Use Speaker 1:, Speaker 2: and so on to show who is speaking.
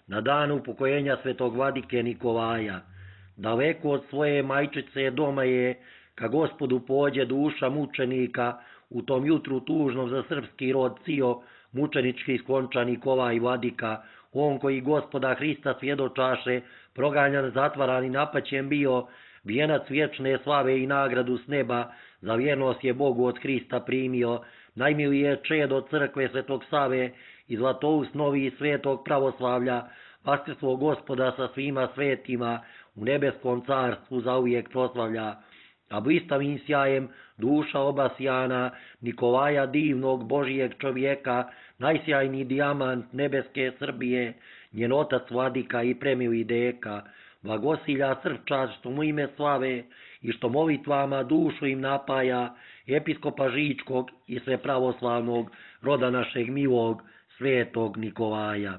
Speaker 1: na dan upokojenja svetog vladike Nikolaja. Daleko od svoje majčice doma je, ka Gospodu pođe duša mučenika, u tom jutru tužnom za srpski rod cio, mučenički skonča Nikolaj vladika, on koji Gospoda Hrista svjedočaše, proganjan, zatvaran i napaćen bio, vijenac vječne slave i nagradu s neba, za vjernost je Bogu od Hrista primio, najmilije čedo crkve Svetog Save i zlatoust novi svetog pravoslavlja, vaskrslog Gospoda sa svima svetima, u nebeskom carstvu zauvijek proslavlja. A blistavim sjajem duša obasjana Nikolaja divnog Božijeg čovjeka, najsjajniji dijamant nebeske Srbije, njen otac vladika i premili deka, blagosilja srčar što mu ime slave i što molitvama dušu im napaja, episkopa Žičkog i sve pravoslavnog roda našeg milog svetog Nikolaja.